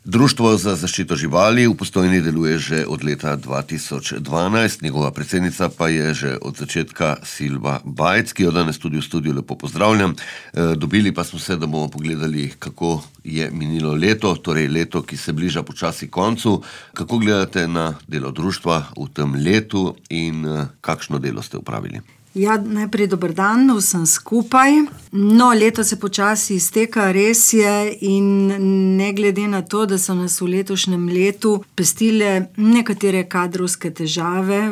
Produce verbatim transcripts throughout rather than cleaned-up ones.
Društvo za zaščito živali v Postojni deluje že od leta dva tisoč dvanajst, njegova predsednica pa je že od začetka Silva Bajc, ki jo danes tudi v studiu lepo pozdravljam. E, dobili pa smo se, da bomo pogledali, kako je minilo leto, torej leto, ki se bliža počasi koncu. Kako gledate na delo društva v tem letu in kakšno delo ste upravili? Ja, najprej dober dan vsem skupaj. No, leto se počasi izteka, res je, in ne glede na to, da so nas v letošnjem letu pestile nekatere kadrovske težave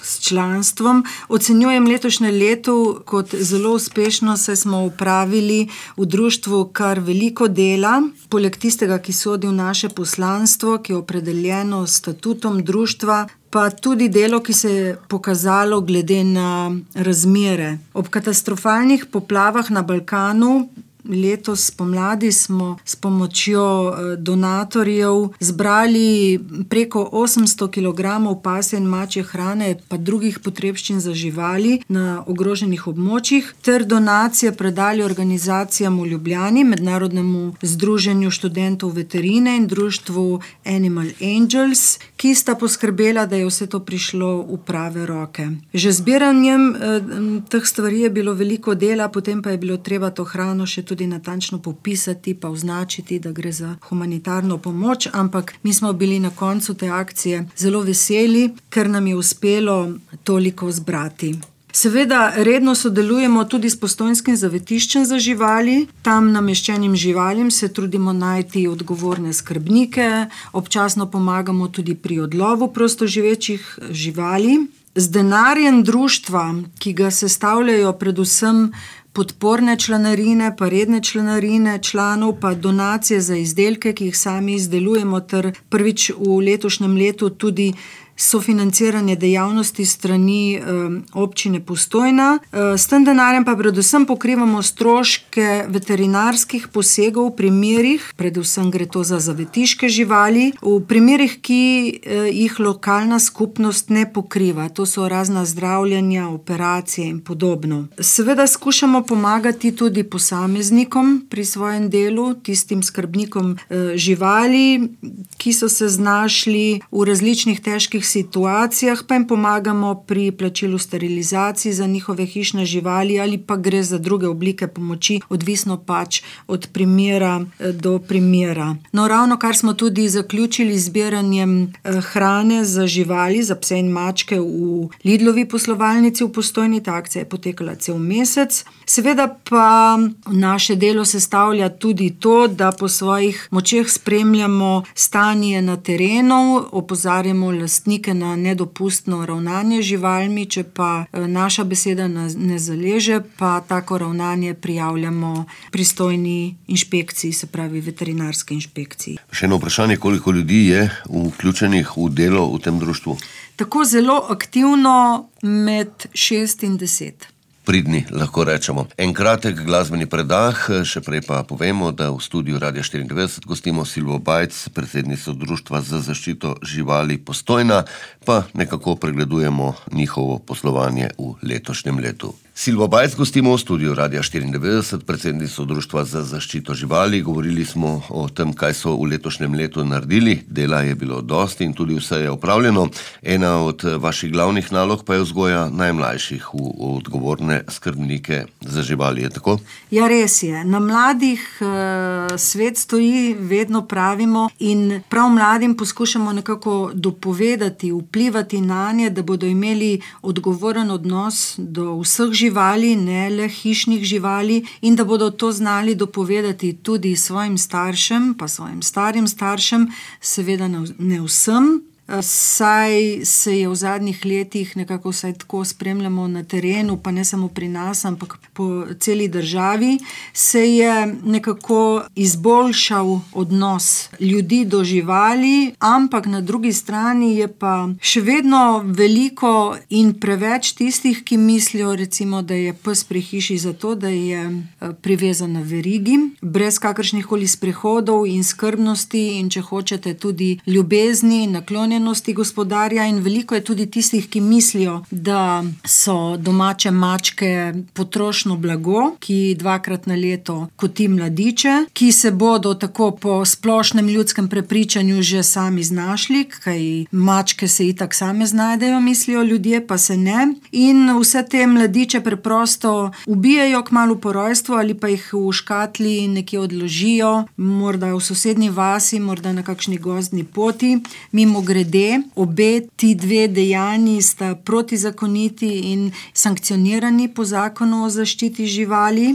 s članstvom, ocenjujem letošnje leto kot zelo uspešno, saj smo upravili v društvu kar veliko dela, poleg tistega, ki sodi v naše poslanstvo, ki je opredeljeno s statutom društva, pa tudi delo, ki se je pokazalo glede na razmere. Ob katastrofalnih poplavah na Balkanu letos pomladi smo s pomočjo donatorjev zbrali preko osemsto kilogramov pasje in mačje hrane pa drugih potrebščin za živali na ogroženih območjih ter donacije predali organizacijam v Ljubljani, Mednarodnemu združenju študentov veterine in društvu Animal Angels, ki sta poskrbela, da je vse to prišlo v prave roke. Že zbiranjem eh, teh stvari je bilo veliko dela, potem pa je bilo treba to hrano še tudi natančno popisati pa označiti, da gre za humanitarno pomoč, ampak mi smo bili na koncu te akcije zelo veseli, ker nam je uspelo toliko zbrati. Seveda redno sodelujemo tudi s Postojnskim zavetiščem za živali. Tam nameščenim živalim se trudimo najti odgovorne skrbnike, občasno pomagamo tudi pri odlovu prostoživečih živali. Z denarjem društva, ki ga sestavljajo predvsem podporne članarine, pa redne članarine članov, pa donacije za izdelke, ki jih sami izdelujemo, ter prvič v letošnjem letu tudi sofinanciranje dejavnosti strani um, občine Postojna. Uh, s tem denarjem pa predvsem pokrivamo stroške veterinarskih posegov v primerih, predvsem gre to za zavetiške živali, v primerih, ki uh, jih lokalna skupnost ne pokriva. To so razna zdravljenja, operacije in podobno. Seveda skušamo pomagati tudi posameznikom pri svojem delu, tistim skrbnikom uh, živali, ki so se znašli v različnih težkih situacijah, pa jim pomagamo pri plačilu sterilizacij za njihove hišne živali ali pa gre za druge oblike pomoči, odvisno pač od primera do primera. No, ravno kar smo tudi zaključili zbiranjem hrane za živali, za pse in mačke v Lidlovi poslovalnici v Postojni. Ta akcija je potekala cel mesec. Seveda pa naše delo sestavlja tudi to, da po svojih močeh spremljamo stanje na terenu, opozarjamo lastnike na nedopustno ravnanje z živalmi, če pa naša beseda ne zaleže, pa tako ravnanje prijavljamo pristojni inšpekciji, se pravi veterinarski inšpekciji. Še eno vprašanje, koliko ljudi je vključenih v delo v tem društvu? Tako zelo aktivno med šest in deset. Pridni, lahko rečemo. En kratek glasbeni predah, še prej pa povemo, da v studiu Radia štiriindevetdeset gostimo Silvo Bajc, predsednico Društva za zaščito živali Postojna, pa nekako pregledujemo njihovo poslovanje v letošnjem letu. Silvo Bajc gostimo v studiu Radia štiriindevetdeset, predsednico Društva za zaščito živali. Govorili smo o tem, kaj so v letošnjem letu naredili. Dela je bilo dosti in tudi vse je opravljeno. Ena od vaših glavnih nalog pa je vzgoja najmlajših v odgovorne skrbnike za živali, je tako? Ja, res je. Na mladih uh, svet stoji, vedno pravimo, in prav mladim poskušamo nekako dopovedati, vplivati nanje, da bodo imeli odgovoren odnos do vseh živali, ne le hišnih živali, in da bodo to znali dopovedati tudi svojim staršem, pa svojim starim staršem, seveda ne vsem. Saj se je v zadnjih letih nekako vsaj tako spremljamo na terenu, pa ne samo pri nas, ampak po celi državi, se je nekako izboljšal odnos ljudi do živali, ampak na drugi strani je pa še vedno veliko in preveč tistih, ki mislijo recimo, da je pes pri hiši zato, da je privezan na verigi, brez kakršnih koli sprehodov in skrbnosti in če hočete tudi ljubezni, naklonjenosti naklonjenosti gospodarja in veliko je tudi tistih, ki mislijo, da so domače mačke potrošno blago, ki dvakrat na leto koti mladiče, ki se bodo tako po splošnem ljudskem prepričanju že sami znašli, kaj mačke se itak same znajdejo, mislijo ljudje, pa se ne. In vse te mladiče preprosto ubijajo kmalu po rojstvu ali pa jih v škatli nekje odložijo, morda v sosednji vasi, morda na kakšni gozdni poti. Mimogrede, obe ti dve dejanji sta protizakoniti in sankcionirani po zakonu o zaščiti živali.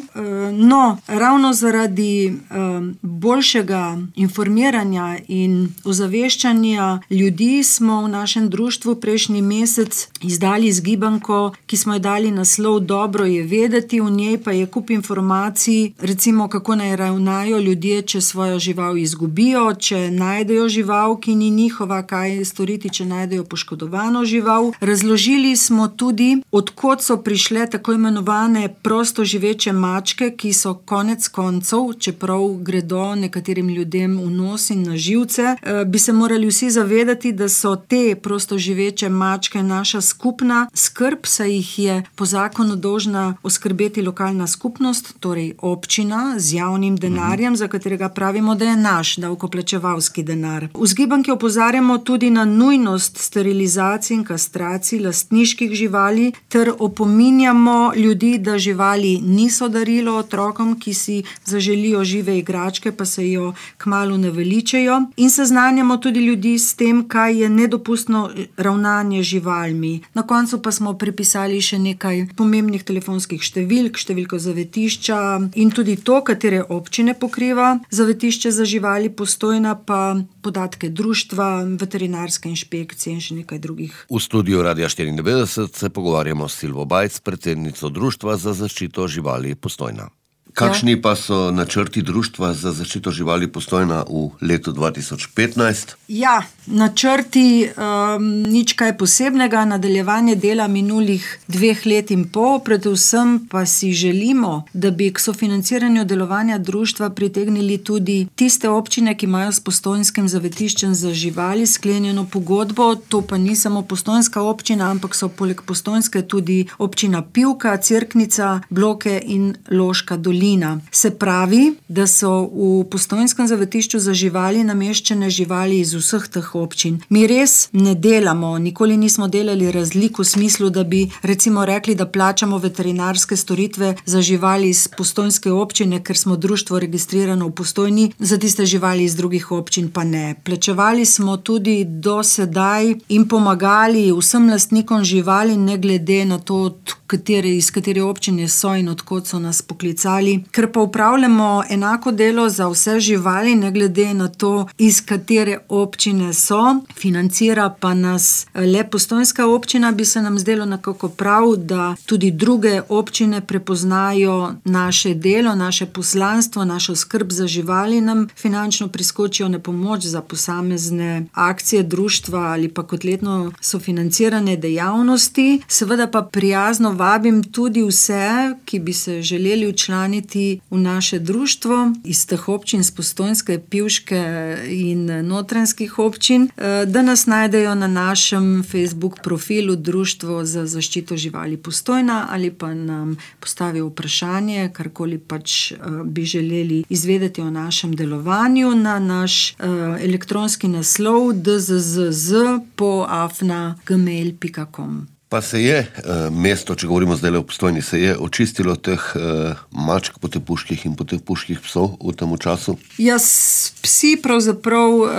No, ravno zaradi boljšega informiranja in ozaveščanja ljudi smo v našem društvu prejšnji mesec izdali zgibanko, ki smo jo dali naslov Dobro je vedeti, v njej pa je kup informacij, recimo kako naj ravnajo ljudje, če svojo žival izgubijo, če najdejo žival, ki ni njihova, kaj storiti, če najdejo poškodovano žival. Razložili smo tudi, od kod so prišle tako imenovane prosto živeče mačke, ki so konec koncev, čeprav gredo nekaterim ljudem v nos in na živce, bi se morali vsi zavedati, da so te prosto živeče mačke naša skupna skrb, saj jih je po zakonu dolžna oskrbeti lokalna skupnost, torej občina z javnim denarjem, za katerega pravimo, da je naš davkoplačevalski denar. V zgibanki opozarjamo tudi na nujnost sterilizacij in kastracij lastniških živali ter opominjamo ljudi, da živali niso darilo otrokom, ki si zaželijo žive igračke, pa se jo kmalu ne veličajo, in seznanjamo tudi ljudi s tem, kaj je nedopustno ravnanje z živalmi. Na koncu pa smo pripisali še nekaj pomembnih telefonskih številk, številko zavetišča in tudi to, katere občine pokriva zavetišče za živali Postojna, pa podatke društva, veterinarske inšpekcije in še nekaj drugih. V studiu Radia štiriindevetdeset se pogovarjamo s Silvo Bajc, predsednico Društva za zaščito živali Postojna. Kakšni pa so načrti Društva za zaščito živali Postojna v letu dva tisoč petnajst? Ja, načrti um, nič kaj posebnega, nadaljevanje dela minulih dveh let in pol, predvsem pa si želimo, da bi k sofinanciranju delovanja društva pritegnili tudi tiste občine, ki imajo s postojnskim zavetiščem za živali sklenjeno pogodbo. To pa ni samo postojnska občina, ampak so poleg postojnske tudi občina Pivka, Cerknica, Bloke in Loška dolina. Se pravi, da so v postojnskem zavetišču za živali nameščene živali iz vseh teh občin. Mi res ne delamo, nikoli nismo delali razliko v smislu, da bi recimo rekli, da plačamo veterinarske storitve za živali iz postojnske občine, ker smo društvo registrirano v Postojni, za tiste živali iz drugih občin pa ne. Plačevali smo tudi do sedaj in pomagali vsem lastnikom živali, ne glede na to, katere, iz katere občine so in odkot so nas poklicali. Ker pa upravljamo enako delo za vse živali, ne glede na to, iz katere občine so, financira pa nas le postojnska občina, bi se nam zdelo nekako prav, da tudi druge občine prepoznajo naše delo, naše poslanstvo, našo skrb za živali, nam finančno priskočijo na pomoč za posamezne akcije društva ali pa kot letno sofinancirane dejavnosti. Seveda pa prijazno vabim tudi vse, ki bi se želeli včlaniti v naše društvo iz teh občin, z Postojnske, Pivške in notranjskih občin, da nas najdejo na našem Facebook profilu Društvo za zaščito živali Postojna ali pa nam postavijo vprašanje, karkoli pač bi želeli izvedeti o našem delovanju na naš elektronski naslov d z z z po afna gmail pika com. Pa se je uh, mesto, če govorimo zdaj o Postojni, se je očistilo teh uh, mačk potepuških in potepuških psov v tem času? Ja, psi pravzaprav uh,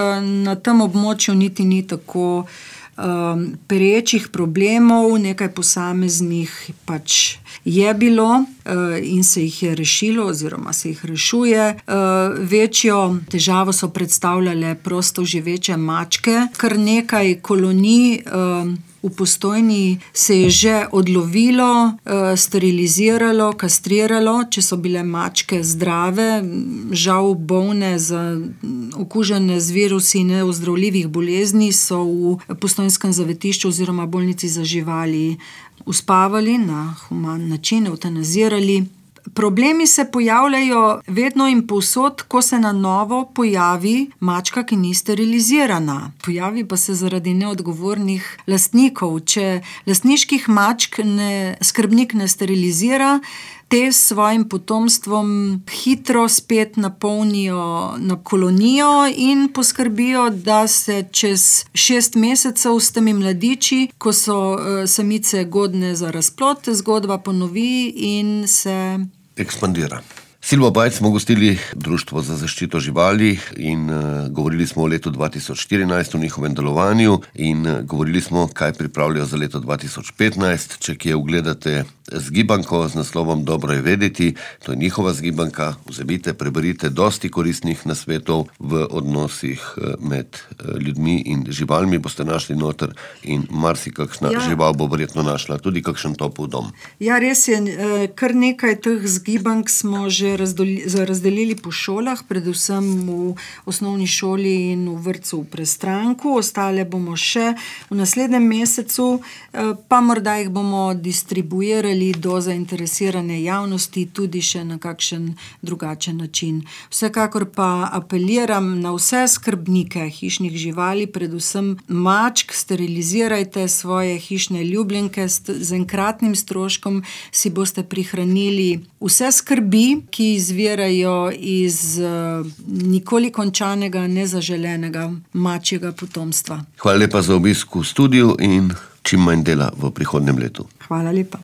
na tem območju niti ni tako um, perečih problemov, nekaj posameznih pač je bilo uh, in se jih je rešilo oziroma se jih rešuje. Uh, večjo težavo so predstavljale prosto živeče mačke, kar nekaj kolonij uh, v Postojni se je že odlovilo, steriliziralo, kastriralo, če so bile mačke zdrave, žal bolne za okužene z virusi neozdravljivih bolezni, so v postojnskem zavetišču oziroma bolnici za živali uspavali na human način, eutanazirali. Problemi se pojavljajo vedno in povsod, ko se na novo pojavi mačka, ki ni sterilizirana. Pojavi pa se zaradi neodgovornih lastnikov. Če lastniških mačk ne, skrbnik ne sterilizira, te s svojim potomstvom hitro spet napolnijo na kolonijo in poskrbijo, da se čez šest mesecev s temi mladiči, ko so uh, samice godne za razplod, zgodba ponovi in se ekspandira. Silvo Bajc smo gostili Društvo za zaščito živali in uh, govorili smo o letu dva tisoč štirinajst, o njihovem delovanju in uh, govorili smo, kaj pripravljajo za leto dva tisoč petnajst. Če kje ugledate zgibanko z naslovom Dobro je vedeti, to je njihova zgibanka, vzemite, preberite dosti koristnih nasvetov v odnosih med ljudmi in živalmi, boste našli noter in marsikakšna ja. žival bo verjetno našla tudi kakšen topel dom. Ja, res je, kar nekaj teh zgibank smo že razdelili po šolah, predvsem v osnovni šoli in v vrtcu v Prestranku, ostale bomo še v naslednjem mesecu, pa morda jih bomo distribuirali do zainteresirane javnosti tudi še na kakšen drugačen način. Vsekakor pa apeliram na vse skrbnike hišnih živali, predvsem mačk, sterilizirajte svoje hišne ljubljenke, z enkratnim stroškom si boste prihranili vse skrbi, ki izvirajo iz uh, nikoli končanega, nezaželenega mačjega potomstva. Hvala lepa za obisk v studiu in čim manj dela v prihodnjem letu. Hvala lepa.